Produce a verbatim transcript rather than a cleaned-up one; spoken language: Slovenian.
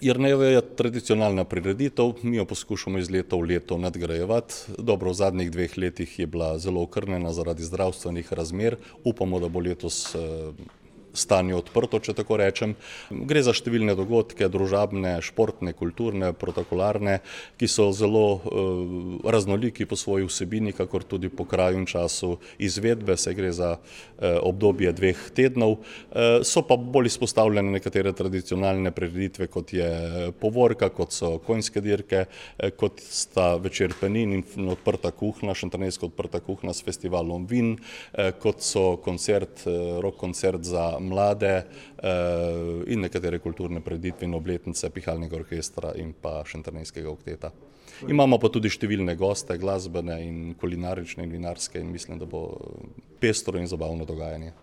Jernejevo je tradicionalna prireditev, mi jo poskušamo iz leta v leto nadgrajevati. Dobro, v zadnjih dveh letih je bila zelo okrnjena zaradi zdravstvenih razmer. Upamo, da bo letos stanje odprto, če tako rečem. Gre za številne dogodke, družabne, športne, kulturne, protokolarne, ki so zelo uh, raznoliki po svoji vsebini, kakor tudi po kraju in času izvedbe, saj gre za uh, obdobje dveh tednov. Uh, so pa bolj izpostavljene nekatere tradicionalne prireditve, kot je povorka, kot so konjske dirke, uh, kot sta večer penin in odprta kuhna, šentjernejska odprta kuhna s festivalom vin, uh, kot so koncert, uh, rock koncert za mlade uh, in nekatere kulturne prireditve in obletnice pihalnega orkestra in pa šentjernejskega okteta. Imamo pa tudi številne goste, glasbene in kulinarične in vinarske, in mislim, da bo pestro in zabavno dogajanje.